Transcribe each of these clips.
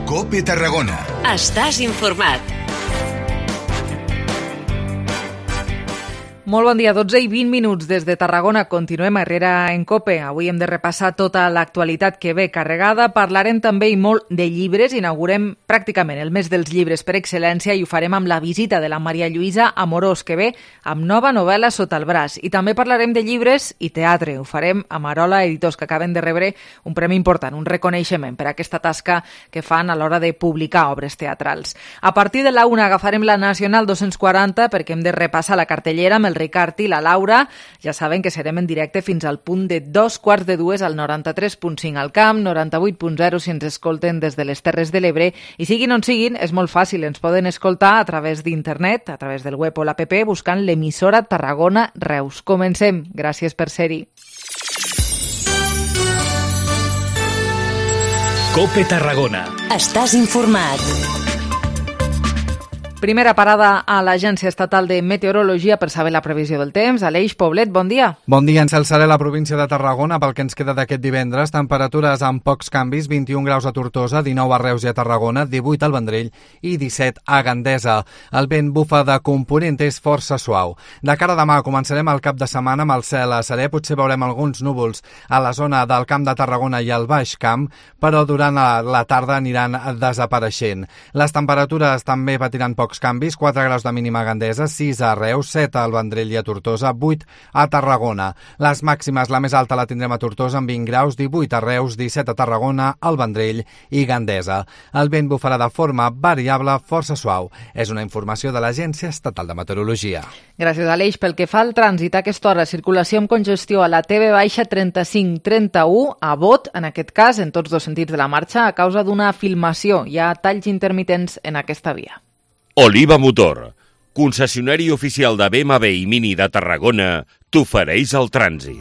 COPE Tarragona. Estàs informat. Molt bon dia, 12 i 20 minuts des de Tarragona. Continuem a Herrera en COPE. Avui hem de repassar tota l'actualitat que ve carregada. Parlarem també i molt de llibres. Inaugurem pràcticament el mes dels llibres per excel·lència i ho farem amb la visita de la Maria Lluïsa Amorós, que ve amb nova novel·la sota el braç. I també parlarem de llibres i teatre. Ho farem amb Arola Editors, que acaben de rebre un premi important, un reconeixement per aquesta tasca que fan a l'hora de publicar obres teatrals. A partir de la 1 agafarem la Nacional 240 perquè hem de repassar la cartellera amb el Ricard i la Laura. Ja saben que serem en directe fins al punt de 2:45 al 93.5 al Camp, 98.0 si ens escolten des de les Terres de l'Ebre. I siguin on siguin, és molt fàcil, ens poden escoltar a través d'internet, a través del web o l'app, buscant l'emissora Tarragona Reus. Comencem. Gràcies per ser-hi. COPE Tarragona. Estàs informat. Primera parada a l'Agència Estatal de Meteorologia per saber la previsió del temps. Aleix Poblet, bon dia. Bon dia, encelçaré la província de Tarragona pel que ens queda d'aquest divendres. Temperatures amb pocs canvis, 21 graus a Tortosa, 19 a Reus i a Tarragona, 18 al Vendrell i 17 a Gandesa. El vent bufa de component és força suau. De cara a demà començarem el cap de setmana amb el cel a serè. Potser veurem alguns núvols a la zona del Camp de Tarragona i al Baix Camp, però durant la tarda aniran desapareixent. Les temperatures també patiran pocs canvis, 4 graus de mínima a Gandesa, 6 a Reus, 7 al Vendrell i a Tortosa, 8 a Tarragona. Les màximes, la més alta la tindrem a Tortosa amb 20 graus, 18 a Reus, 17 a Tarragona, al Vendrell i Gandesa. El vent bufarà de forma variable, força suau. És una informació de l'Agència Estatal de Meteorologia. Gràcies, Aleix. Pel que fa al trànsit, a aquesta hora, circulació amb congestió a la TV-35-31, a Bot, en aquest cas, en tots dos sentits de la marxa, a causa d'una filmació. Hi ha talls intermitents en aquesta via. Oliva Motor, concessionari oficial de BMW i Mini de Tarragona, t'ofereix el trànsit.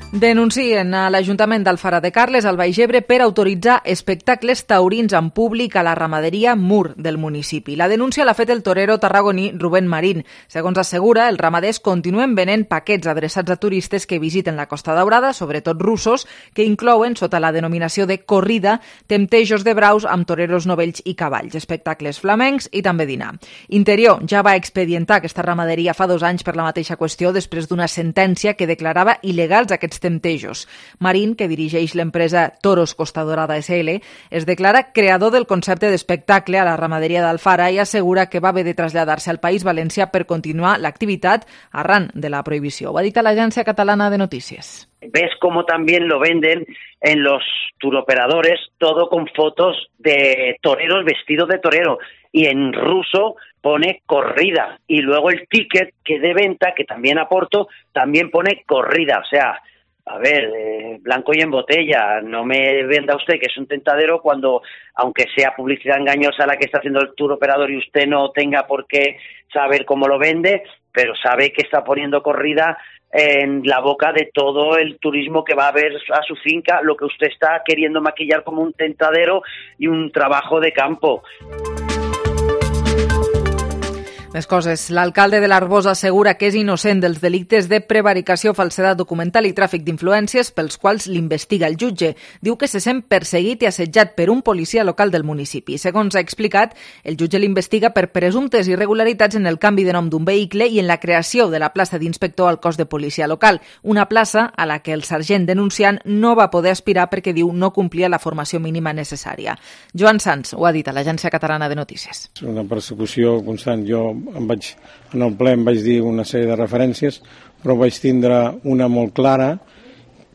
Denuncien a l'Ajuntament d'Alfara de Carles, al Baix Ebre, per autoritzar espectacles taurins en públic a la ramaderia Mur del municipi. La denúncia l'ha fet el torero tarragoní Rubén Marín. Segons assegura, els ramaders continuen venent paquets adreçats a turistes que visiten la Costa Daurada, sobretot russos, que inclouen, sota la denominació de corrida, temptejos de braus amb toreros novells i cavalls, espectacles flamencs i també dinar. Interior ja va expedientar aquesta ramaderia fa 2 anys per la mateixa qüestió després d'una sentència que declarava il·legals aquests temptejos. Marín, que dirigeix l'empresa Toros Costa Dorada SL, es declara creador del concepte d'espectacle a la ramaderia d'Alfara i assegura que va haver de traslladar-se al País Valencià per continuar l'activitat arran de la prohibició. Ho ha dit a l'Agència Catalana de Notícies. Ves cómo también lo venden en los turoperadores, todo con fotos de toreros vestidos de torero, y en ruso pone corrida, y luego el ticket que de venta, que también aporto, también pone corrida. O sea, a ver, blanco y en botella, no me venda usted que es un tentadero cuando, aunque sea publicidad engañosa la que está haciendo el tour operador y usted no tenga por qué saber cómo lo vende, pero sabe que está poniendo corrida en la boca de todo el turismo que va a ver a su finca, lo que usted está queriendo maquillar como un tentadero y un trabajo de campo. Més coses. L'alcalde de l'Arboç assegura que és innocent dels delictes de prevaricació, falsedat documental i tràfic d'influències pels quals l'investiga el jutge. Diu que se sent perseguit i assetjat per un policia local del municipi. Segons ha explicat, el jutge l'investiga per presumptes irregularitats en el canvi de nom d'un vehicle i en la creació de la plaça d'inspector al cos de policia local, una plaça a la que el sergent denunciant no va poder aspirar perquè, diu, no complia la formació mínima necessària. Joan Sans ho ha dit a l'Agència Catalana de Notícies. Una persecució constant. Jo en el ple em vaig dir una sèrie de referències, però vaig tindre una molt clara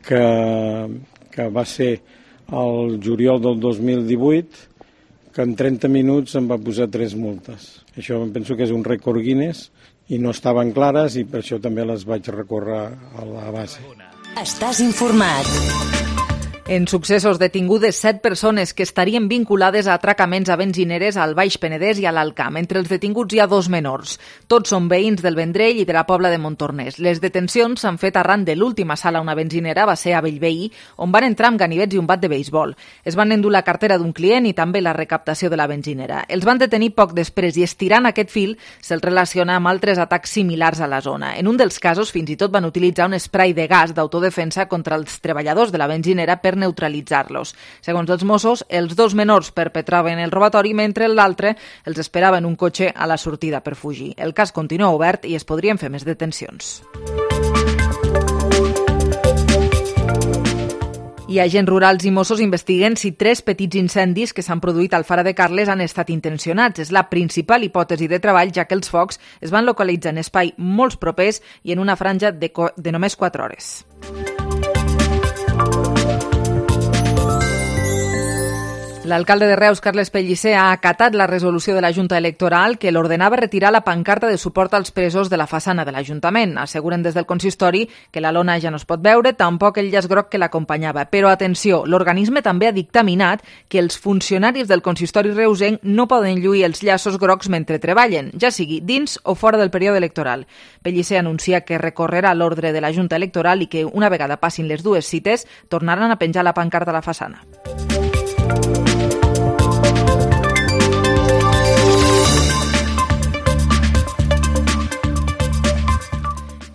que va ser el juliol del 2018, que en 30 minuts em va posar 3 multes. Això em penso que és un rècord Guinness i no estaven clares i per això també les vaig recórrer a la base. Estàs informat. En successos detingudes 7 persones que estarien vinculades a atracaments a benzineres al Baix Penedès i a l'Alt Camp. Entre els detinguts hi ha 2 menors. Tots són veïns del Vendrell i de la Pobla de Montornès. Les detencions s'han fet arran de l'última sala a una benzinera, va ser a Bellveí, on van entrar amb ganivets i un bat de beisbol. Es van endur la cartera d'un client i també la recaptació de la benzinera. Els van detenir poc després i estirant aquest fil se'ls relaciona amb altres atacs similars a la zona. En un dels casos fins i tot van utilitzar un spray de gas d'autodefensa contra els treballadors de la benzinera per per neutralitzar-los. Segons els Mossos, els dos menors perpetraven el robatori mentre l'altre els esperava en un cotxe a la sortida per fugir. El cas continua obert i es podrien fer més detencions. I agents rurals i Mossos investiguen si 3 petits incendis que s'han produït al Fara de Carles han estat intencionats. És la principal hipòtesi de treball, ja que els focs es van localitzar en espai molt propers i en una franja de només 4 hores. L'alcalde de Reus, Carles Pellicer, ha acatat la resolució de la Junta Electoral que l'ordenava retirar la pancarta de suport als presos de la façana de l'Ajuntament. Asseguren des del consistori que la lona ja no es pot veure, tampoc el llaç groc que l'acompanyava. Però atenció, l'organisme també ha dictaminat que els funcionaris del consistori reusenc no poden lluir els llaços grocs mentre treballen, ja sigui dins o fora del període electoral. Pellicer anuncia que recorrerà l'ordre de la Junta Electoral i que, una vegada passin les 2 cites, tornaran a penjar la pancarta a la façana.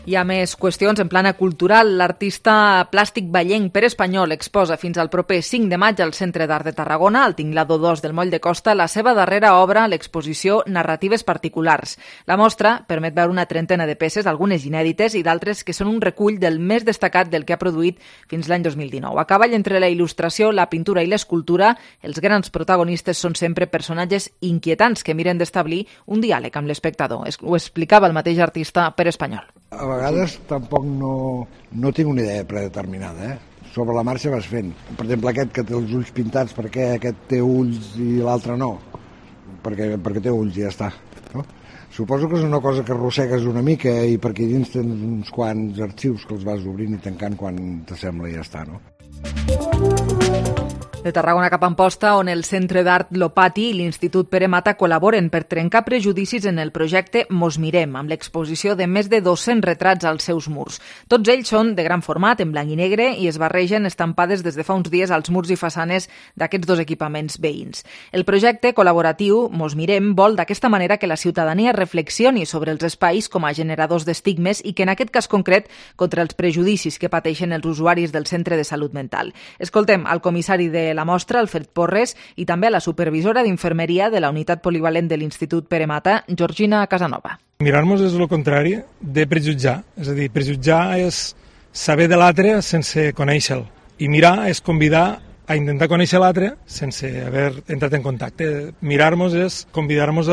Hi ha més qüestions en plana cultural. L'artista plàstic ballenc Pere Espanyol exposa fins al proper 5 de maig al Centre d'Art de Tarragona, al Tinglado 2 del Moll de Costa, la seva darrera obra, l'exposició Narratives particulars. La mostra permet veure una trentena de peces, algunes inèdites i d'altres que són un recull del més destacat del que ha produït fins l'any 2019. A cavall entre la il·lustració, la pintura i l'escultura, els grans protagonistes són sempre personatges inquietants que miren d'establir un diàleg amb l'espectador. Ho explicava el mateix artista Pere Espanyol. A vegades tampoc no tinc una idea predeterminada, Sobre la marxa vas fent. Per exemple, aquest que té els ulls pintats, per què aquest té ulls i l'altre no? Perquè té ulls i ja està, no? Suposo que és una cosa que arrossegues una mica i perquè dins tens uns quants arxius que els vas obrint i tancant quan t'assembla i ja està, no? De Tarragona cap a Amposta, on el Centre d'Art Lopati i l'Institut Pere Mata col·laboren per trencar prejudicis en el projecte Mos Mirem, amb l'exposició de més de 200 retrats als seus murs. Tots ells són de gran format, en blanc i negre, i es barregen estampades des de fa uns dies als murs i façanes d'aquests 2 equipaments veïns. El projecte col·laboratiu Mos Mirem vol d'aquesta manera que la ciutadania reflexioni sobre els espais com a generadors d'estigmes i que en aquest cas concret contra els prejudicis que pateixen els usuaris del Centre de Salut Mental. Escoltem al comissari de la mostra, Alfred Porres, i també a la supervisora d'infermeria de la unitat polivalent de l'Institut Pere Mata, Georgina Casanova. Mirar-nos és el contrari de prejutjar. És a dir, prejutjar és saber de l'altre sense conèixer-lo. I mirar és convidar a intentar conèixer l'altre sense haver entrat en contacte. Mirar-nos és convidar-nos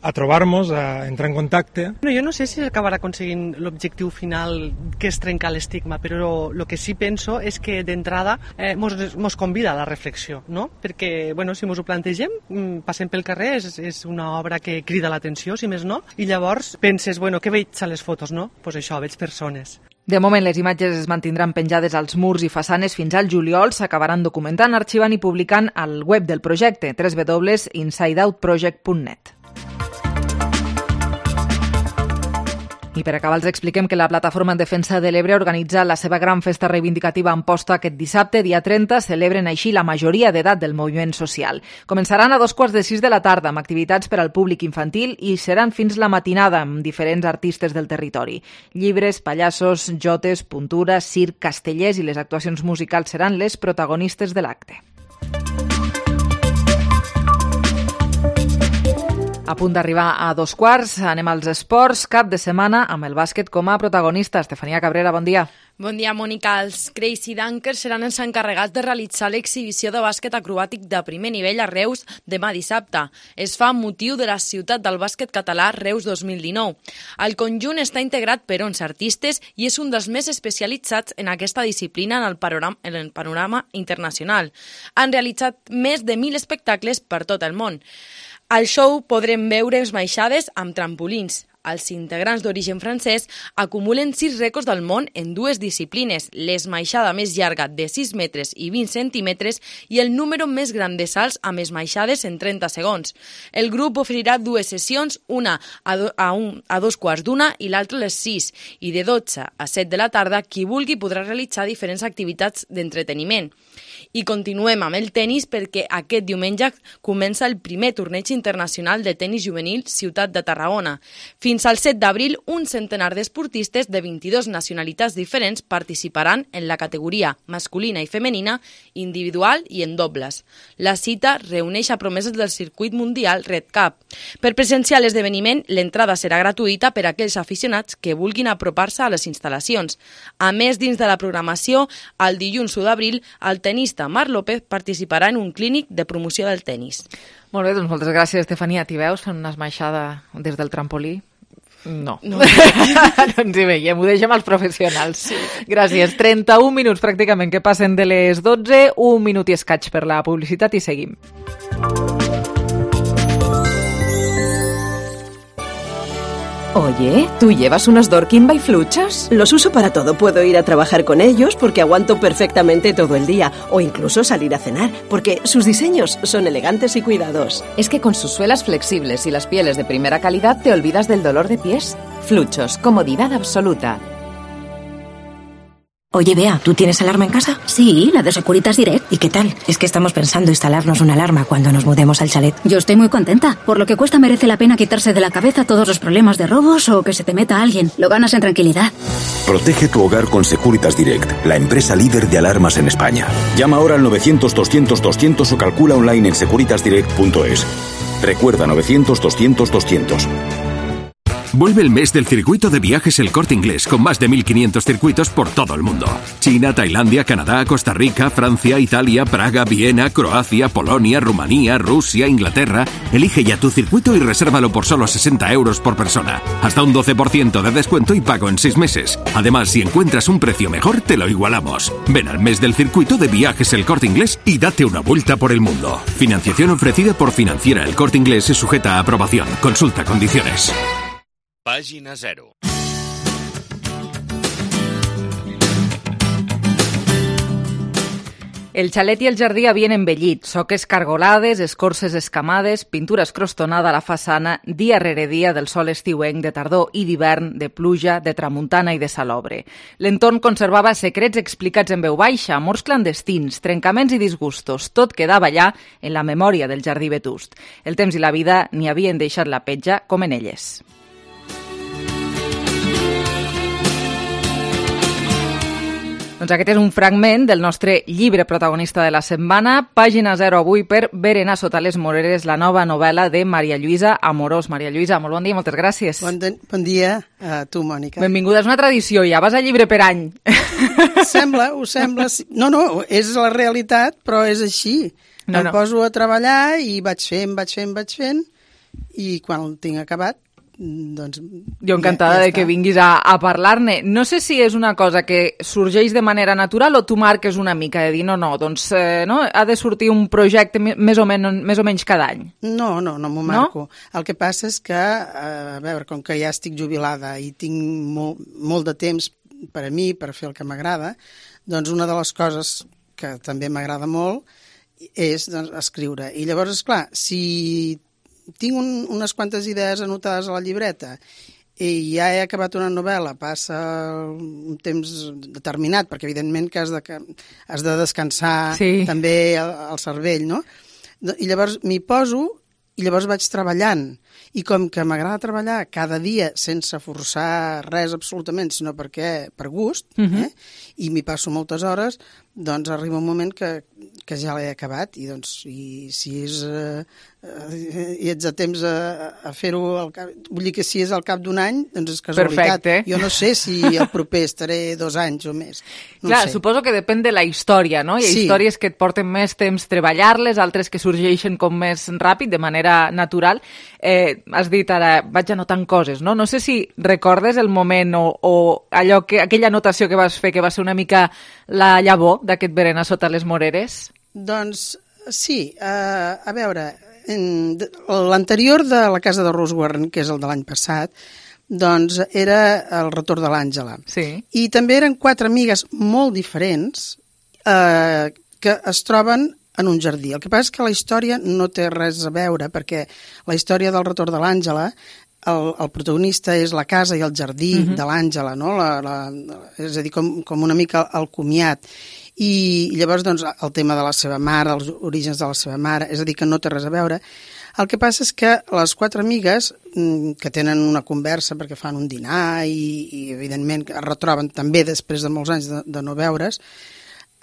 a trobar-nos, a entrar en contacte. Jo no sé si acabarà aconseguint l'objectiu final, que és trencar l'estigma, però el que sí penso és que d'entrada mos convida a la reflexió, no? Perquè, si mos ho plantegem, passem pel carrer, és una obra que crida l'atenció, si més no, i llavors penses, què veig a les fotos, no? Doncs això, veig persones. De moment, les imatges es mantindran penjades als murs i façanes fins al juliol, s'acabaran documentant, arxivant i publicant al web del projecte, www.insideoutproject.net. I per acabar els expliquem que la Plataforma en Defensa de l'Ebre organitza la seva gran festa reivindicativa a Amposta aquest dissabte, dia 30. Celebren així la majoria d'edat del moviment social. Començaran a 5:45 de la tarda amb activitats per al públic infantil i seran fins la matinada amb diferents artistes del territori. Llibres, pallassos, jotes, puntura, circ, castellers i les actuacions musicals seran les protagonistes de l'acte. A punt d'arribar a 2:15, anem als esports, cap de setmana amb el bàsquet com a protagonista. Estefania Cabrera, bon dia. Bon dia, Mònica. Els Crazy Dunkers seran els encarregats de realitzar l'exhibició de bàsquet acrobàtic de primer nivell a Reus demà dissabte. Es fa amb motiu de la ciutat del bàsquet català Reus 2019. El conjunt està integrat per 11 artistes i és un dels més especialitzats en aquesta disciplina en el panorama internacional. Han realitzat més de 1.000 espectacles per tot el món. Al show podrem veure esmaixades amb trampolins. Els integrants d'origen francès acumulen 6 rècords del món en 2 disciplines, l'esmaixada més llarga de 6 metres i 20 centímetres i el número més gran de salts amb esmaixades en 30 segons. El grup oferirà 2 sessions, una a 2:15 i l'altra a les 6, i de 12 a 7 de la tarda qui vulgui podrà realitzar diferents activitats d'entreteniment. I continuem amb el tenis perquè aquest diumenge comença el primer torneig internacional de tenis juvenil Ciutat de Tarragona. Fins al 7 d'abril, un centenar d'esportistes de 22 nacionalitats diferents participaran en la categoria masculina i femenina, individual i en dobles. La cita reuneix a promeses del circuit mundial Red Cup. Per presenciar l'esdeveniment, l'entrada serà gratuïta per a aquells aficionats que vulguin apropar-se a les instal·lacions. A més, dins de la programació, el dilluns 1 d'abril, el tenista Marc López participarà en un clínic de promoció del tenis. Molt bé, doncs moltes gràcies, Estefania. T'hi veus fent una esmaixada des del trampolí? No. No ens hi veiem, ho deixem als professionals. Sí. Gràcies. 31 minuts pràcticament que passen de les 12, un minut i escaig per la publicitat i seguim. Oye, ¿tú llevas unos Dorkin by Fluchas? Los uso para todo. Puedo ir a trabajar con ellos porque aguanto perfectamente todo el día. O incluso salir a cenar, porque sus diseños son elegantes y cuidados. Es que con sus suelas flexibles y las pieles de primera calidad te olvidas del dolor de pies. Fluchos, comodidad absoluta. Oye, Bea, ¿tú tienes alarma en casa? Sí, la de Securitas Direct. ¿Y qué tal? Es que estamos pensando instalarnos una alarma cuando nos mudemos al chalet. Yo estoy muy contenta. Por lo que cuesta merece la pena quitarse de la cabeza todos los problemas de robos o que se te meta alguien. Lo ganas en tranquilidad. Protege tu hogar con Securitas Direct, la empresa líder de alarmas en España. Llama ahora al 900-200-200 o calcula online en securitasdirect.es. Recuerda, 900-200-200. Vuelve el mes del circuito de viajes El Corte Inglés, con más de 1.500 circuitos por todo el mundo. China, Tailandia, Canadá, Costa Rica, Francia, Italia, Praga, Viena, Croacia, Polonia, Rumanía, Rusia, Inglaterra. Elige ya tu circuito y resérvalo por solo 60 euros por persona. Hasta un 12% de descuento y pago en 6 meses. Además, si encuentras un precio mejor, te lo igualamos. Ven al mes del circuito de viajes El Corte Inglés y date una vuelta por el mundo. Financiación ofrecida por Financiera El Corte Inglés y sujeta a aprobación. Consulta condiciones. Pàgina 0. El xalet i el jardí havien envellit, soques cargolades, escorces escamades, pintura escrostonada a la façana, dia rere dia del sol estiuenc de tardor i d'hivern, de pluja, de tramuntana i de salobre. L'entorn conservava secrets explicats en veu baixa, amors clandestins, trencaments i disgustos. Tot quedava allà en la memòria del jardí vetust. El temps i la vida n'hi havien deixat la petja com en elles. Doncs aquest és un fragment del nostre llibre protagonista de la setmana, pàgina 0 avui per Berenar sota les moreres, la nova novel·la de Maria Lluïsa Amorós. Maria Lluïsa, molt bon dia, moltes gràcies. Bon dia a tu, Mònica. Benvinguda, és una tradició, ja vas a llibre per any. Ho sembla. No, és la realitat, però és així. Em poso a treballar i vaig fent, i quan el tinc acabat, doncs... Jo encantada de que vinguis a parlar-ne. No sé si és una cosa que sorgeix de manera natural o tu marques una mica de dir doncs ha de sortir un projecte més o menys cada any. No m'ho marco. No? El que passa és que, a veure, com que ja estic jubilada i tinc molt de temps per a mi, per fer el que m'agrada, doncs una de les coses que també m'agrada molt és escriure. I llavors, esclar, si tinc unes quantes idees anotades a la llibreta i ja he acabat una novel·la, passa un temps determinat, perquè evidentment que has de descansar també el cervell, no? I llavors m'hi poso i llavors vaig treballant. I com que m'agrada treballar cada dia sense forçar res absolutament, sinó per gust, i m'hi passo moltes hores, doncs arriba un moment que ja l'he acabat i si ets a temps a fer-ho, vull dir que si és al cap d'un any, doncs és casualitat. Perfecte. Jo no sé si el proper estaré 2 anys o més. Clar, suposo que depèn de la història, no? Hi ha històries que et porten més temps treballar-les, altres que sorgeixen com més ràpid, de manera natural. Has dit ara, vaig anotant coses, no? No sé si recordes el moment o aquella anotació que vas fer, que va ser una mica la llavor d'aquest Berenar sota les moreres? Doncs sí, a veure, l'anterior de la casa de Rose Warren, que és el de l'any passat, doncs era el retorn de l'Àngela. Sí. I també eren 4 amigues molt diferents que es troben en un jardí. El que passa és que la història no té res a veure, perquè la història del retorn de l'Àngela, el protagonista és la casa i el jardí de l'Àngela, no? És a dir, com una mica el comiat. I llavors, doncs, el tema de la seva mare, els orígens de la seva mare, és a dir, que no té res a veure. El que passa és que les 4 amigues, que tenen una conversa perquè fan un dinar i evidentment, es retroben també després de molts anys de no veure's,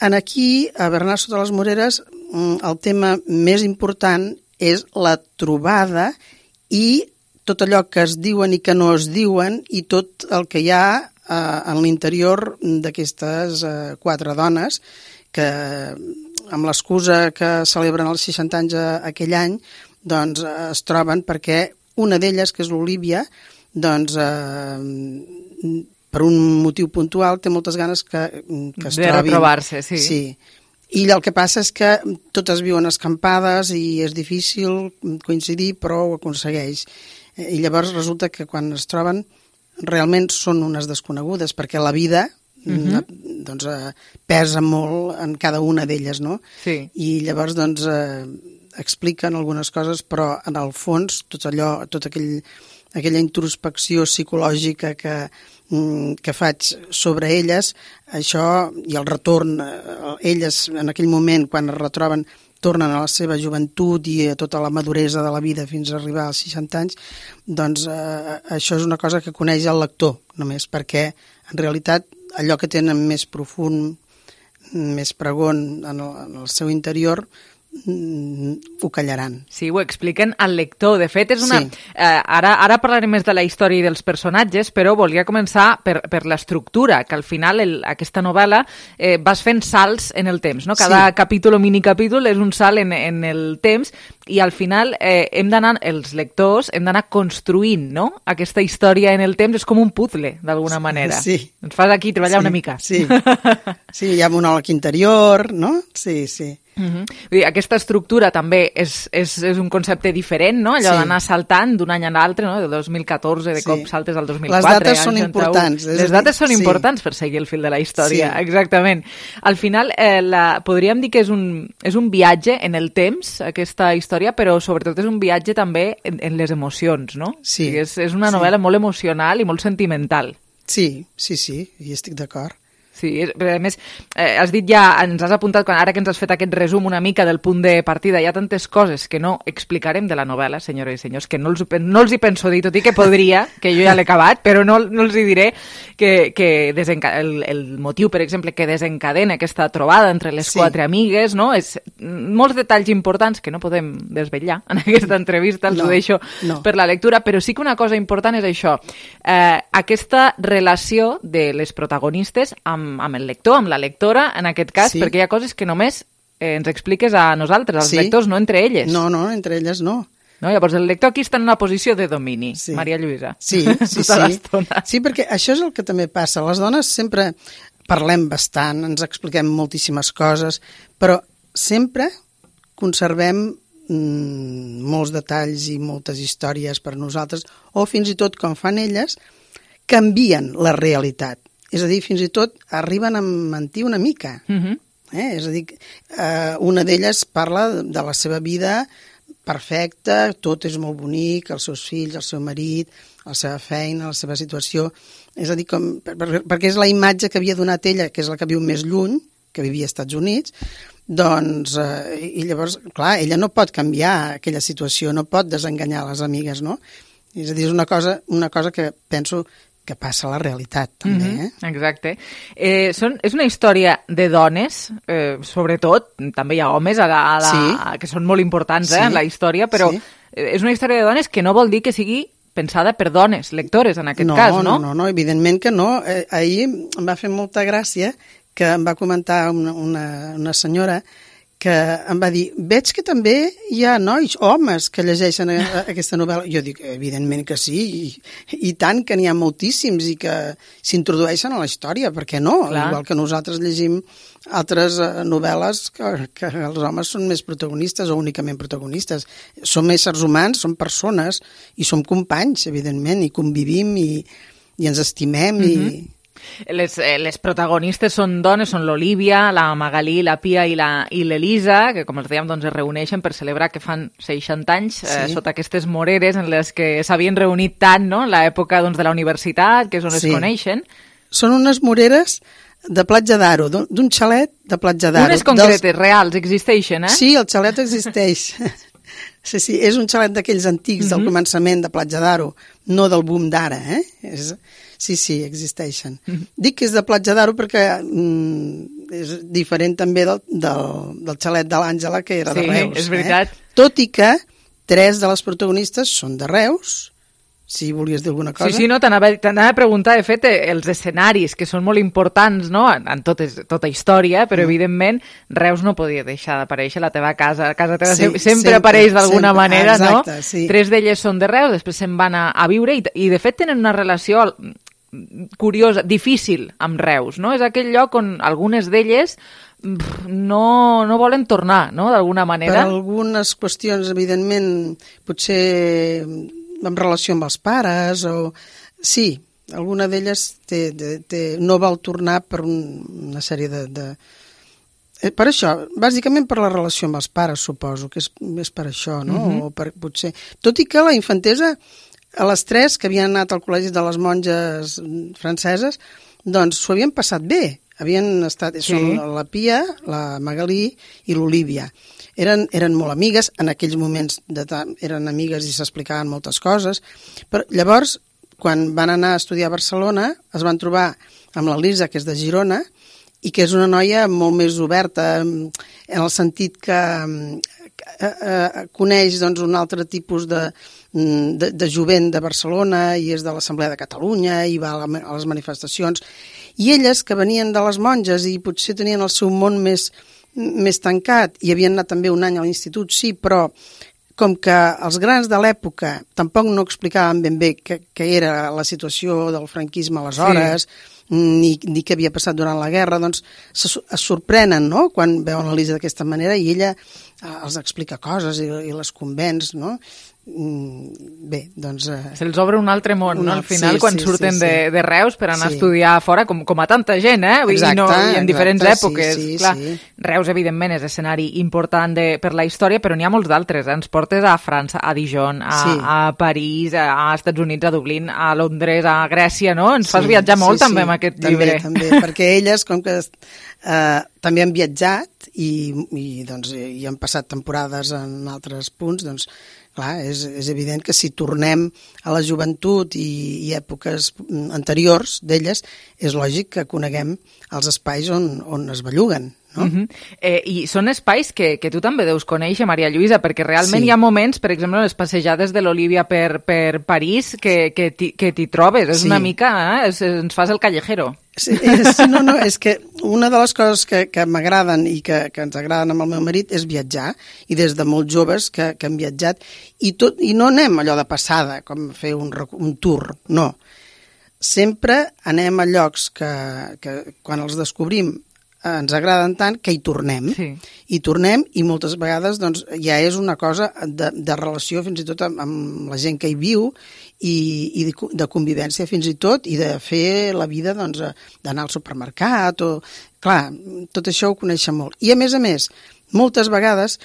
aquí, a Bernat sota les Moreres, el tema més important és la trobada i tot allò que es diuen i que no es diuen i tot el que hi ha en l'interior d'aquestes 4 dones que, amb l'excusa que celebren els 60 anys aquell any, doncs es troben perquè una d'elles, que és l'Olívia, doncs per un motiu puntual té moltes ganes que es trobin. De retrobar-se, sí. Sí. I el que passa és que totes viuen escampades i és difícil coincidir, però ho aconsegueix. I llavors resulta que quan es troben realment són unes desconegudes, perquè la vida doncs, pesa molt en cada una d'elles, no? Sí. I llavors doncs, expliquen algunes coses, però en el fons tota aquella introspecció psicològica que faig sobre elles, això i el retorn, elles en aquell moment quan es retroben tornen a la seva joventut i a tota la maduresa de la vida fins a arribar als 60 anys, doncs això és una cosa que coneix el lector només, perquè en realitat allò que tenen més profund, més pregon en el seu interior, ho callaran. Sí, ho expliquen al lector. De fet, és una... Sí. Ara parlarem més de la història i dels personatges, però volia començar per l'estructura, que al final aquesta novel·la vas fent salts en el temps, no? Cada capítol o minicapítol és un salt en el temps i al final els lectors hem d'anar construint, no? Aquesta història en el temps és com un puzzle, d'alguna manera. Sí. Ens fas aquí treballar una mica. Sí, sí, hi ha monòleg interior, no? Sí, sí. Vull dir, aquesta estructura també és un concepte diferent, no? Allò d'anar saltant d'un any a l'altre, no? Del 2014, de cop saltes al 2004. Les dates són importants. Les dates són importants per seguir el fil de la història, exactament. Al final, podríem dir que és un viatge en el temps, aquesta història, però sobretot és un viatge també en les emocions, no? Sí. És una novel·la molt emocional i molt sentimental. Sí, hi estic d'acord. Sí, però a més, has dit ja, ens has apuntat, ara que ens has fet aquest resum una mica del punt de partida, hi ha tantes coses que no explicarem de la novel·la, senyores i senyors, que no els hi penso dir, tot i que podria, que jo ja l'he acabat, però no els hi diré que el motiu, per exemple, que desencadena aquesta trobada entre les 4 amigues, no? És molts detalls importants que no podem desvetllar en aquesta entrevista, els ho deixo per la lectura, però sí que una cosa important és això, aquesta relació de les protagonistes amb el lector, amb la lectora, en aquest cas, perquè hi ha coses que només ens expliques a nosaltres, als lectors, no entre elles. No, entre elles no. Llavors, el lector aquí està en una posició de domini, Maria Lluïsa. Sí. Sí, perquè això és el que també passa. Les dones sempre parlem bastant, ens expliquem moltíssimes coses, però sempre conservem molts detalls i moltes històries per a nosaltres, o fins i tot, com fan elles, canvien la realitat. És a dir, fins i tot arriben a mentir una mica. És a dir, una d'elles parla de la seva vida perfecta, tot és molt bonic, els seus fills, el seu marit, la seva feina, la seva situació. És a dir, perquè és la imatge que havia donat ella, que és la que viu més lluny, que vivia als Estats Units, doncs, i llavors, clar, ella no pot canviar aquella situació, no pot desenganyar les amigues, no? És a dir, és una cosa que penso que passa a la realitat, també. Exacte. És una història de dones, sobretot, també hi ha homes que són molt importants en la història, però és una història de dones que no vol dir que sigui pensada per dones, lectores, en aquest cas, no? No, evidentment que no. Ahir em va fer molta gràcia que em va comentar una senyora que em va dir, veig que també hi ha nois, homes, que llegeixen aquesta novel·la. Jo dic, evidentment que sí, i tant, que n'hi ha moltíssims i que s'introdueixen a la història, per què no? Igual que nosaltres llegim altres novel·les que els homes són més protagonistes o únicament protagonistes. Som éssers humans, som persones i som companys, evidentment, i convivim i ens estimem i... Les protagonistes són dones, són l'Olívia, la Magalí, la Pia i l'Elisa, que com els dèiem doncs, es reuneixen per celebrar que fan 60 anys sota aquestes moreres en les que s'havien reunit tant, no?, en l'època doncs, de la universitat, que és on es coneixen. Són unes moreres de Platja d'Aro, d'un xalet de Platja d'Aro. Unes concretes, reals, existeixen, eh? Sí, el xalet existeix. Sí, és un xalet d'aquells antics del començament de Platja d'Aro, no del boom d'ara, Sí, existeixen. Dic que és de Platja d'Aro perquè és diferent també del xalet de l'Àngela, que era de Reus. Sí, és veritat. Tot i que 3 de les protagonistes són de Reus, si volies dir alguna cosa. Sí, no, t'anava a preguntar, de fet, els escenaris, que són molt importants, no?, en tota història, però, evidentment, Reus no podia deixar d'aparèixer, la teva casa teva sempre apareix d'alguna manera, exacte, no? Sí. 3 d'elles són de Reus, després se'n van a viure, i de fet tenen una relació curiosa, difícil amb Reus, no? És aquell lloc on algunes d'elles no volen tornar, no?, d'alguna manera. Per algunes qüestions, evidentment, potser en relació amb els pares, o... Sí, alguna d'elles no vol tornar per una sèrie de... Per això, bàsicament per la relació amb els pares, suposo, que és per això, no? O potser... Tot i que la infantesa, a les 3 que havien anat al col·legi de les monges franceses, doncs s'ho havien passat bé. Havien estat... Són la Pia, la Magalí i l'Olívia. Eren molt amigues, en aquells moments eren amigues i s'explicaven moltes coses, però llavors, quan van anar a estudiar a Barcelona, es van trobar amb la Lisa, que és de Girona, i que és una noia molt més oberta, en el sentit que coneix doncs, un altre tipus de jovent de Barcelona i és de l'Assemblea de Catalunya i va a les manifestacions. I elles, que venien de les monges i potser tenien el seu món més tancat i havien anat també un any a l'institut, sí, però com que els grans de l'època tampoc no explicaven ben bé què era la situació del franquisme aleshores, ni què havia passat durant la guerra, doncs es sorprenen, no?, quan veuen l'Elisa d'aquesta manera i ella els explica coses i les convenç, no? Bé, doncs... Se'ls obre un altre món, no?, al final, quan surten de Reus per anar a estudiar fora, com a tanta gent, Exacte, i en diferents èpoques. Clar, sí. Reus, evidentment, és escenari important per la història, però n'hi ha molts d'altres. Ens portes a França, a Dijon, a París, a Estats Units, a Dublín, a Londres, a Grècia, no? Ens fas viatjar molt també amb aquest llibre. També, perquè elles, com que també han viatjat i han passat temporades en altres punts, doncs clar, és evident que si tornem a la joventut i èpoques anteriors d'elles, és lògic que coneguem els espais on es belluguen, no? I són espais que tu també deus conèixer, Maria Lluïsa, perquè realment hi ha moments, per exemple, les passejades de l'Olívia per París, que t'hi trobes, és una mica, ens fas el callejero. Sí, no, és que una de les coses que m'agraden i que ens agraden amb el meu marit és viatjar, i des de molt joves que hem viatjat, i no anem allò de passada, com fer un tour, no. Sempre anem a llocs que quan els descobrim ens agraden tant que hi tornem. Hi tornem i moltes vegades doncs, ja és una cosa de relació fins i tot amb la gent que hi viu i de convivència fins i tot i de fer la vida doncs, d'anar al supermercat. Clar, tot això ho coneixen molt. I a més, moltes vegades,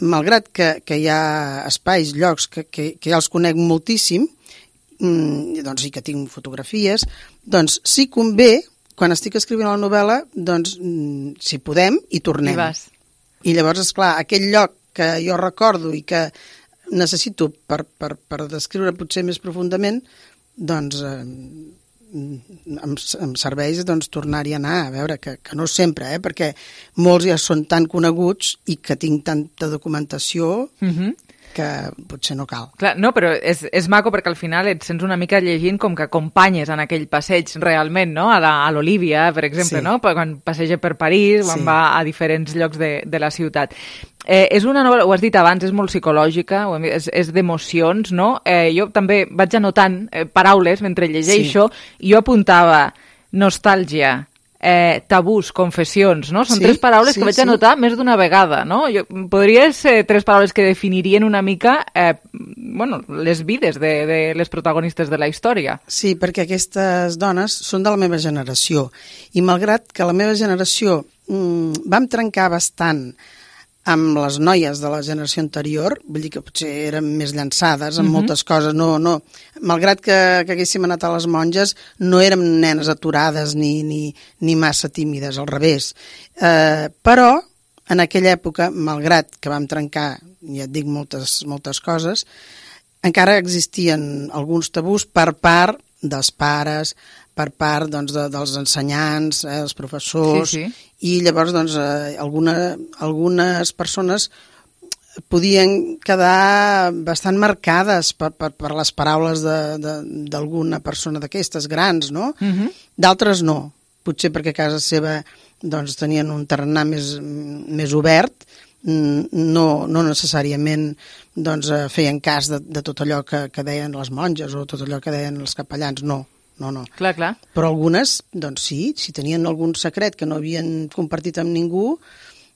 malgrat que hi ha espais, llocs que ja els conec moltíssim doncs, i que tinc fotografies, doncs sí convé, quan estic escrivint la novel·la, doncs, si podem, hi tornem. I llavors, esclar, aquell lloc que jo recordo i que necessito per descriure potser més profundament, doncs em serveix tornar-hi a anar, a veure, que no sempre, perquè molts ja són tan coneguts i que tinc tanta documentació que potser no cal. Clar, no, però és maco perquè al final et sents una mica llegint com que acompanyes en aquell passeig realment, no? A l'Olívia, per exemple, no? Quan passeja per París, quan va a diferents llocs de la ciutat. És una novel·la, ho has dit abans, és molt psicològica, és d'emocions, no? Jo també vaig anotant paraules mentre llegeixo, i jo apuntava nostàlgia, tabús, confessions, no? Són tres paraules que vaig anotar més d'una vegada, no? Podria ser tres paraules que definirien una mica les vides de les protagonistes de la història. Sí, perquè aquestes dones són de la meva generació i malgrat que la meva generació vam trencar bastant amb les noies de la generació anterior, vull dir que potser eren més llançades en moltes coses, no. Malgrat que haguéssim anat a les monges, no érem nenes aturades ni massa tímides, al revés. Però, en aquella època, malgrat que vam trencar, ja et dic, moltes coses, encara existien alguns tabús per part dels pares, per part dels ensenyants, dels professors, i llavors algunes persones podien quedar bastant marcades per les paraules d'alguna persona d'aquestes grans, no? D'altres no, potser perquè a casa seva tenien un tarannà més obert, no necessàriament feien cas de tot allò que deien les monges o tot allò que deien els capellans, no. Clar. Però algunes, sí, si tenien algun secret que no havien compartit amb ningú,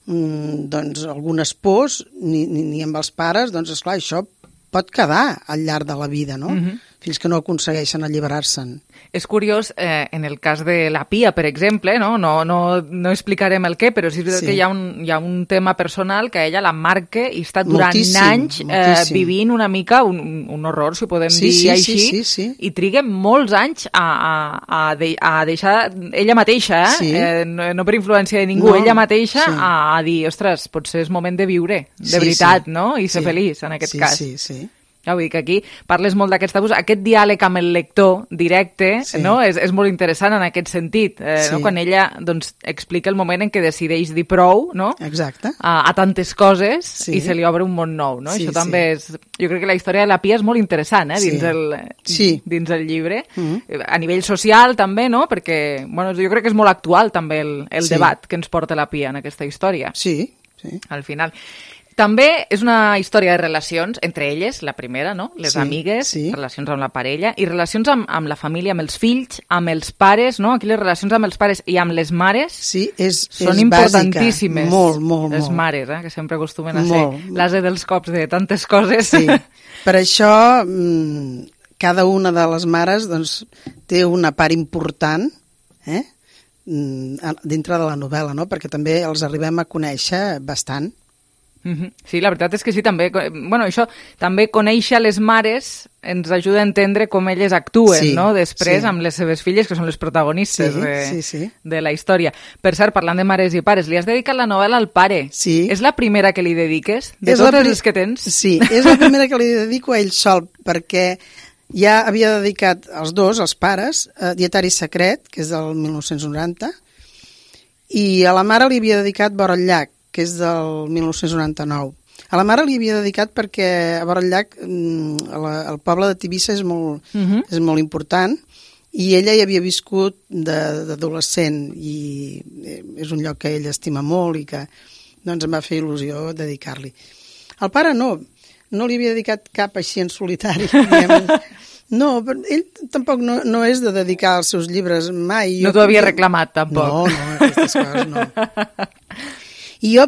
algunes pors, ni amb els pares, esclar, això pot quedar al llarg de la vida, no? Fins que no aconsegueixen alliberar-se'n. És curiós, en el cas de la Pia, per exemple, no explicarem el què, però sí que hi ha un tema personal que ella la marca i està durant anys vivint una mica un horror, si ho podem dir així, i triga molts anys a deixar ella mateixa, no per influència de ningú, ella mateixa a dir, ostres, potser és moment de viure, de veritat, no? I ser feliç, en aquest cas. Sí. Ja vull dir que aquí parles molt d'aquests tabús. Aquest diàleg amb el lector directe és molt interessant en aquest sentit. Quan ella explica el moment en què decideix dir prou a tantes coses i se li obre un món nou. Això també és... Jo crec que la història de la Pia és molt interessant dins el llibre. A nivell social també, perquè jo crec que és molt actual també el debat que ens porta la Pia en aquesta història. Sí. Al final... També és una història de relacions entre elles, la primera, no? Les amigues, relacions amb la parella, i relacions amb la família, amb els fills, amb els pares, no? Aquí les relacions amb els pares i amb les mares són importantíssimes. Molt. Les mares, que sempre acostumen a ser l'ase dels cops de tantes coses. Sí. Per això, cada una de les mares té una part important dintre de la novel·la, no? Perquè també els arribem a conèixer bastant. Sí, la veritat és que sí, també. Això també conèixer les mares ens ajuda a entendre com elles actuen, no? Després amb les seves filles, que són les protagonistes de la història. Per cert, parlant de mares i pares, li has dedicat la novel·la al pare. Sí. És la primera que li dediques? De totes les que tens? Sí, és la primera que li dedico a ell sol, perquè ja havia dedicat els dos, els pares, a Dietari secret, que és del 1990, i a la mare li havia dedicat Vora el llac, que és del 1999. A la mare li havia dedicat perquè a Vora el llac el poble de Tivissa és molt important i ella hi havia viscut d'adolescent i és un lloc que ella estima molt i que em va fer il·lusió dedicar-li. Al pare no li havia dedicat cap així en solitari. No, ell tampoc no és de dedicar els seus llibres mai. No t'ho havia reclamat, tampoc. No, aquestes coses no. I jo,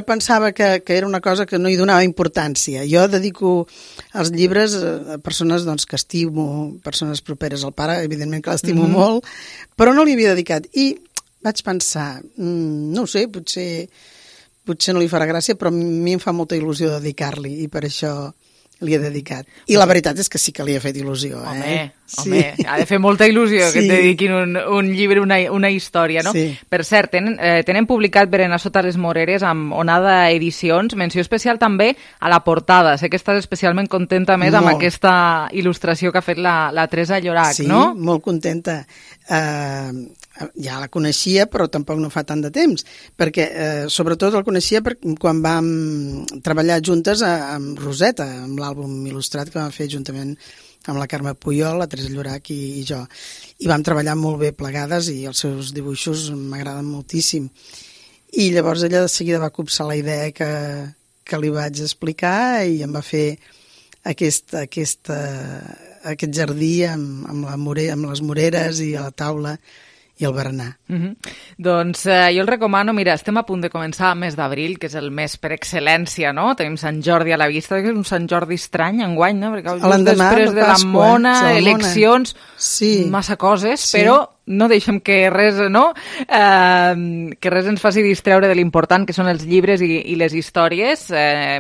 pensava que era una cosa que no hi donava importància. Jo dedico els llibres a persones que estimo, persones properes al pare, evidentment que l'estimo molt, però no li havia dedicat. I vaig pensar, no ho sé, potser no li farà gràcia, però a mi em fa molta il·lusió dedicar-li i per això li he dedicat. I la veritat és que sí que li ha fet il·lusió. Home, ha de fer molta il·lusió que et dediquin un llibre, una història, no? Per cert, tenen publicat Berenar sota les moreres amb Onada Edicions, menció especial també a la portada. Sé que estàs especialment contenta més amb aquesta il·lustració que ha fet la Teresa Llorac, no? Sí, molt contenta. Ja la coneixia, però tampoc no fa tant de temps, perquè sobretot el coneixia quan vam treballar juntes amb Roseta, amb l'àlbum il·lustrat que vam fer juntament amb la Carme Puyol, la Teresa Llorac i jo. I vam treballar molt bé plegades i els seus dibuixos m'agraden moltíssim. I llavors ella de seguida va copsar la idea que li vaig explicar i em va fer aquest jardí amb les moreres i a la taula i el berenar. Doncs jo el recomano, mira, estem a punt de començar el mes d'abril, que és el mes per excel·lència, no? Tenim Sant Jordi a la vista, que és un Sant Jordi estrany enguany, no? Perquè just després de la mona, eleccions, massa coses, però no deixem que res, que res ens faci distreure de l'important que són els llibres i les històries.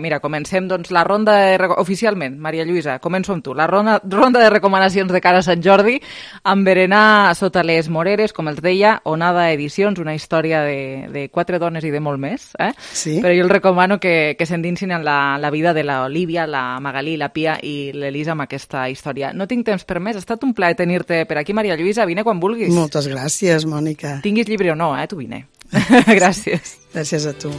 Mira, comencem doncs la ronda oficialment. Maria Lluïsa, començo amb tu. La ronda de recomanacions de cara a Sant Jordi, amb berenar sota les moreres, com els deia, Onada Edicions, una història de 4 dones i de molt més. Sí. Però jo els recomano que s'endinsin en la vida de l'Olivia, la Magalí, la Pia i l'Elisa amb aquesta història. No tinc temps per més, ha estat un plaer tenir-te per aquí, Maria Lluïsa, vine quan vulguis. Moltes gràcies, Mònica. Tinguis llibre o no, tu vine. Gràcies. Gràcies a tu.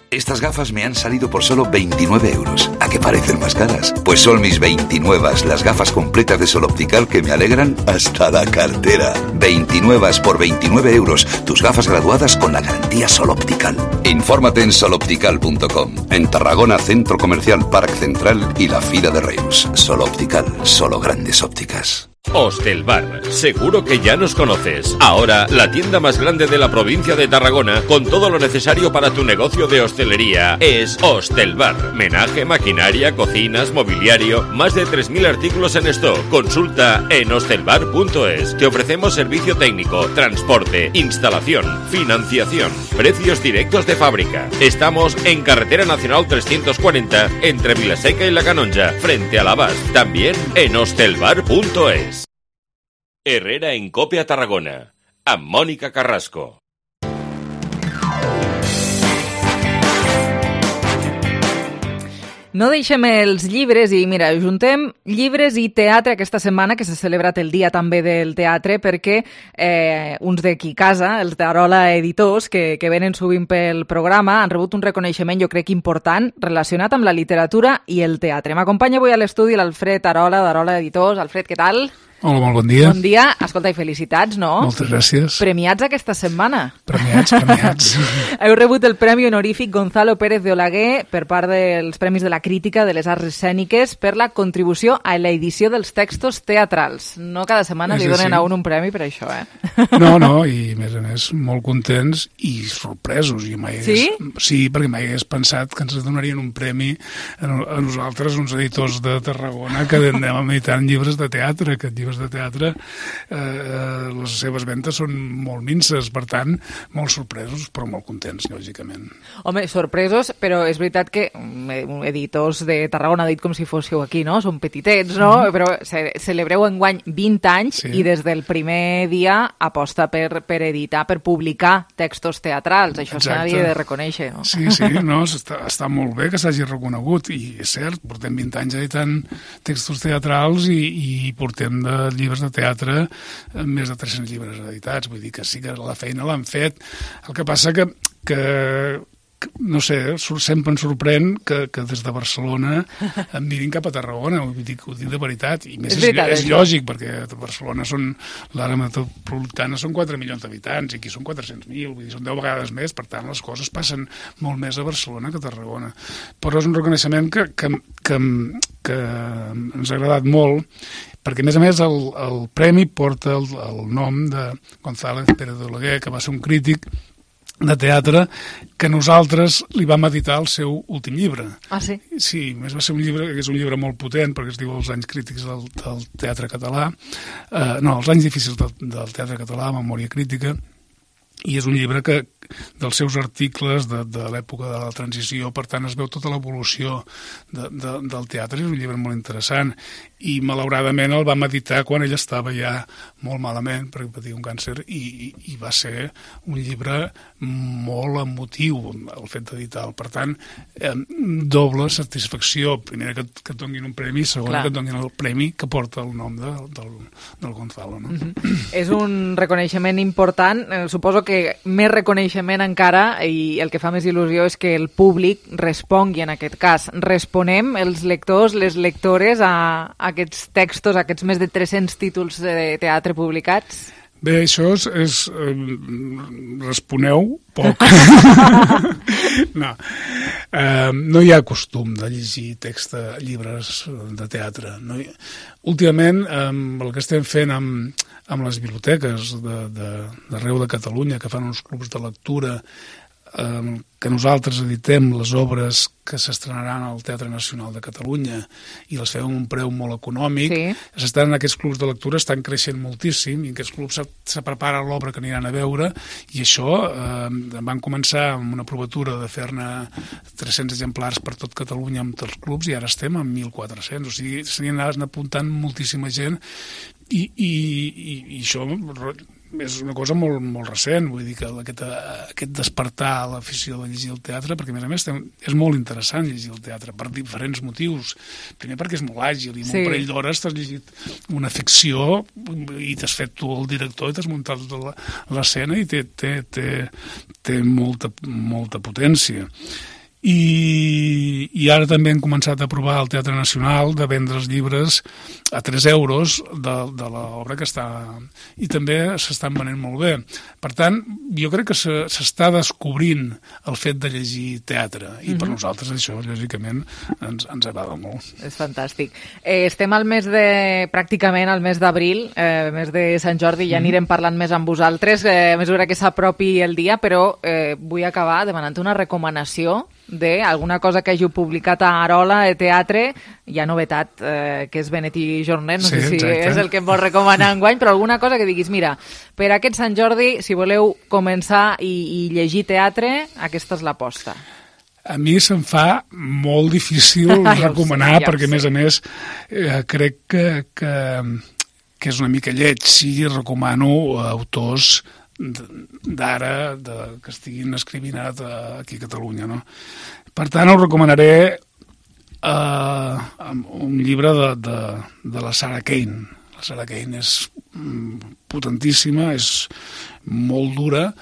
Estas gafas me han salido por solo 29 euros. ¿A qué parecen más caras? Pues son mis 29, las gafas completas de Sol Optical que me alegran hasta la cartera. 29 por 29 euros. Tus gafas graduadas con la garantía Sol Optical. Infórmate en soloptical.com. En Tarragona, Centro Comercial Parc Central y la Fira de Reus. Sol Optical, solo grandes ópticas. Hostelbar, seguro que ya nos conoces. Ahora, la tienda más grande de la provincia de Tarragona, con todo lo necesario para tu negocio de hostelería, es Hostelbar. Menaje, maquinaria, cocinas, mobiliario, más de 3.000 artículos en stock. Consulta en hostelbar.es. Te ofrecemos servicio técnico, transporte, instalación, financiación, precios directos de fábrica. Estamos en Carretera Nacional 340, entre Vilaseca y La Canonja, frente a l'Abast. También en hostelbar.es. Herrera en COPE a Tarragona, amb Mònica Carrasco. No deixem els llibres i, mira, juntem llibres i teatre aquesta setmana, que s'ha celebrat el dia també del teatre, perquè uns d'aquí casa, els d'Arola Editors, que venen sovint pel programa, han rebut un reconeixement, jo crec, important, relacionat amb la literatura i el teatre. M'acompanya avui a l'estudi l'Alfred Arola, d'Arola Editors. Alfred, què tal? Hola, molt bon dia. Bon dia. Escolta, i felicitats, no? Moltes gràcies. Premiats aquesta setmana. Premiats. Heu rebut el Premi Honorífic Gonzalo Pérez de Olaguer per part dels Premis de la Crítica de les Arts Escèniques per la contribució a l'edició dels textos teatrals. No cada setmana li donen a un premi per això, No, i a més molt contents i sorpresos. Sí? Sí, perquè mai hagués pensat que ens donarien un premi a nosaltres, uns editors de Tarragona, que anem editant llibres de teatre, que llibres de teatre, les seves ventes són molt minces, per tant, molt sorpresos, però molt contents, lògicament. Home, sorpresos, però és veritat que editors de Tarragona, dit com si fóssiu aquí, no? Són petitets, no? Però celebreu enguany 20 anys i des del primer dia aposta per editar, per publicar textos teatrals. Això s'havia de reconèixer, no? Sí, no, està molt bé que s'hagi reconegut, i és cert, portem 20 anys editant textos teatrals i portem de llibres de teatre, més de 300 llibres editats, vull dir que sí que la feina l'han fet. El que passa que no sé, sempre em sorprèn que des de Barcelona em mirin cap a Tarragona, ho dic de veritat, i més és lògic, perquè a Barcelona l'àrea metropolitana són 4 milions d'habitants, i aquí són 400.000, vull dir, són 10 vegades més, per tant les coses passen molt més a Barcelona que a Tarragona. Però és un reconeixement que ens ha agradat molt, perquè a més el premi porta el nom de González Pérez de Olaguer, que va ser un crític de teatre que nosaltres li vam editar el seu últim llibre. Ah, sí? Sí, més va ser un llibre que és un llibre molt potent, perquè es diu Els anys crítics del teatre català, Els anys difícils del teatre català, Memòria crítica, i és un llibre que dels seus articles de l'època de la transició, per tant es veu tota l'evolució del teatre, és un llibre molt interessant, i malauradament el vam editar quan ell estava ja molt malament, perquè patia un càncer, i va ser un llibre molt emotiu el fet d'editar-lo. Per tant, doble satisfacció, primera que et donin un premi, segona que et donin el premi que porta el nom del Gonzalo. No? És un reconeixement important, suposo que més reconeixement encara, i el que fa més il·lusió és que el públic respongui en aquest cas. Responem els lectors, les lectores a aquests textos, a aquests més de 300 títols de teatre publicats? Bé, això és responeu poc. No hi ha costum de llegir llibres de teatre. Últimament, el que estem fent amb les biblioteques d'arreu de Catalunya, que fan uns clubs de lectura que nosaltres editem les obres que s'estrenaran al Teatre Nacional de Catalunya i les fem a un preu molt econòmic, s'estan en aquests clubs de lectura, estan creixent moltíssim, i en aquests clubs se prepara l'obra que aniran a veure, i això van començar amb una provatura de fer-ne 300 exemplars per tot Catalunya amb tots els clubs, i ara estem en 1.400, o sigui, s'hi han apuntant moltíssima gent, i això és una cosa molt recent, vull dir que aquest despertar a l'afició de llegir el teatre, perquè a més és molt interessant llegir el teatre per diferents motius. Primer perquè és molt àgil i en un parell d'hores t'has llegit una ficció i t'has fet tu el director i t'has muntat tota l'escena i té molta potència. I ara també hem començat a provar al Teatre Nacional de vendre els llibres a 3 euros de l'obra que està... I també s'estan venent molt bé. Per tant, jo crec que s'està descobrint el fet de llegir teatre, i per nosaltres això, lògicament, ens agrada molt. És fantàstic. Estem pràcticament al mes d'abril, mes de Sant Jordi, ja anirem parlant més amb vosaltres, a mesura que s'apropi el dia, però vull acabar demanant una recomanació d'alguna cosa que hàgiu publicat a Arola de teatre. Hi ha novetat, que és Benet i Jornet, no sé si és el que em vols recomanar enguany, però alguna cosa que diguis, mira, per aquest Sant Jordi, si voleu començar i llegir teatre, aquesta és l'aposta. A mi se'm fa molt difícil recomanar, perquè a més crec que és una mica lleig, si recomano autors d'ara que estiguin escrivint aquí a Catalunya, no? Per tant, us recomanaré un llibre de la Sarah Kane. La Sarah Kane és potentíssima, és molt dura,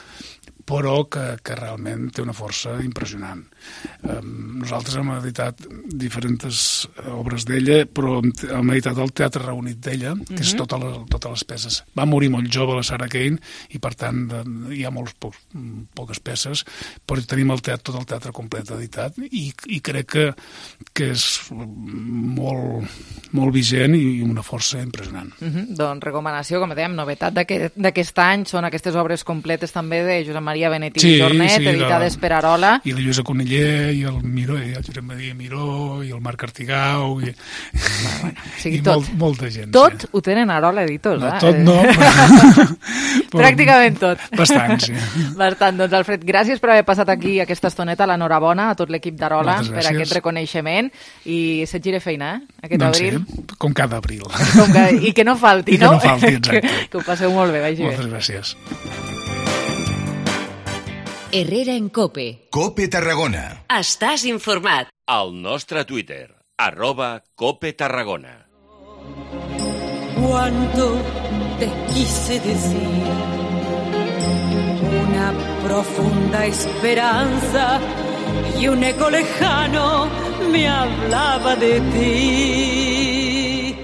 però que realment té una força impressionant. Nosaltres hem editat diferents obres d'ella, però hem editat el Teatre Reunit d'ella, que és totes les peces. Va morir molt jove la Sarah Kane, i per tant hi ha poques peces, però tenim tot el teatre complet editat, i crec que és molt vigent i una força impressionant. Doncs recomanació, com dèiem, novetat d'aquest any són aquestes obres completes també de Josep Maria Benet i Jornet, editades per Arola. I la Lluïsa Cuniller, i el Miró, i el Josep Maria Miró, i el Marc Artigau, i molta gent. Tot ho tenen a Arola Editors, eh? Tot no. Pràcticament tot. Bastant, sí. Bastant. Doncs, Alfred, gràcies per haver passat aquí aquesta estoneta, l'enhorabona a tot l'equip d'Arola per aquest reconeixement, i se't gire feina, aquest abril. Com cada abril. I que no falti, no? I que no falti, exacte. Que ho passeu molt bé, vagi bé. Moltes gràcies. Herrera en COPE. COPE Tarragona. Estàs informat. Al nostre Twitter, @COPE Tarragona. Cuánto te quise decir, una profunda esperanza y un eco lejano me hablaba de ti.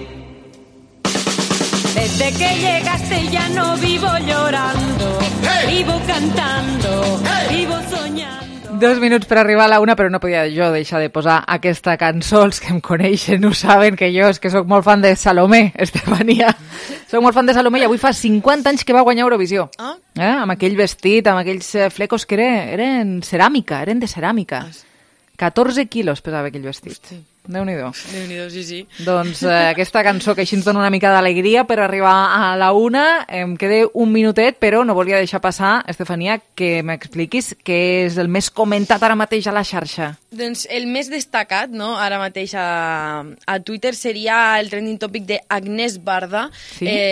Desde que llegaste ya no vivo llorando, vivo cantando, vivo soñando. 2 minuts per arribar a la 1, però no podia jo deixar de posar aquesta cançó. Els que em coneixen ho saben, que jo és que sóc molt fan de Salomé, Estefania. Soc molt fan de Salomé, i avui fa 50 anys que va guanyar Eurovisió. Amb aquell vestit, amb aquells flecos que eren ceràmica, eren de ceràmica. 14 quilos pesava aquell vestit. Déu-n'hi-do. Déu-n'hi-do, sí. Doncs aquesta cançó que així ens dona una mica d'alegria per arribar a la 1. Em queda un minutet, però no volia deixar passar, Estefania, que m'expliquis què és el més comentat ara mateix a la xarxa. Doncs el més destacat, no, ara mateix a Twitter seria el trending topic d'Agnès Varda,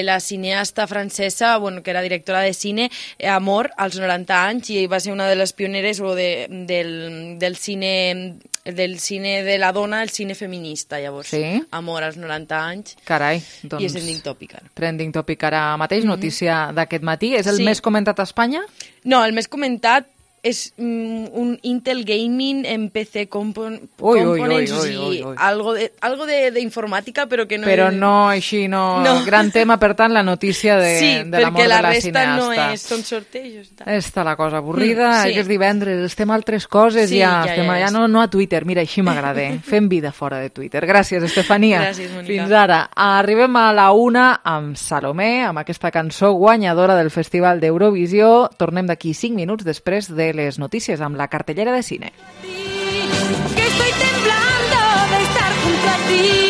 la cineasta francesa, que era directora de cine, Amor, als 90 anys, i va ser una de les pioneres del cine de la dona, el cine feminista, llavors. Amor als 90 anys. Carai, doncs... I és trending topic ara. Trending topic ara mateix, notícia d'aquest matí. És el més comentat a Espanya? No, el més comentat és un Intel Gaming en PC Components, algo de informàtica, però que no... Però no, així no... Gran tema, per tant, la notícia de l'amor de la cineasta. Sí, perquè la resta són sortejos. Està la cosa avorrida, és divendres, estem a altres coses, estem allà, no a Twitter, mira, així m'agrada, fem vida fora de Twitter. Gràcies, Estefania. Gràcies, Mònica. Fins ara. Arribem a la 1 amb Salomé, amb aquesta cançó guanyadora del Festival d'Eurovisió. Tornem d'aquí 5 minuts després de les notícies amb la cartellera de cine. Que estoy temblando de estar junto a ti.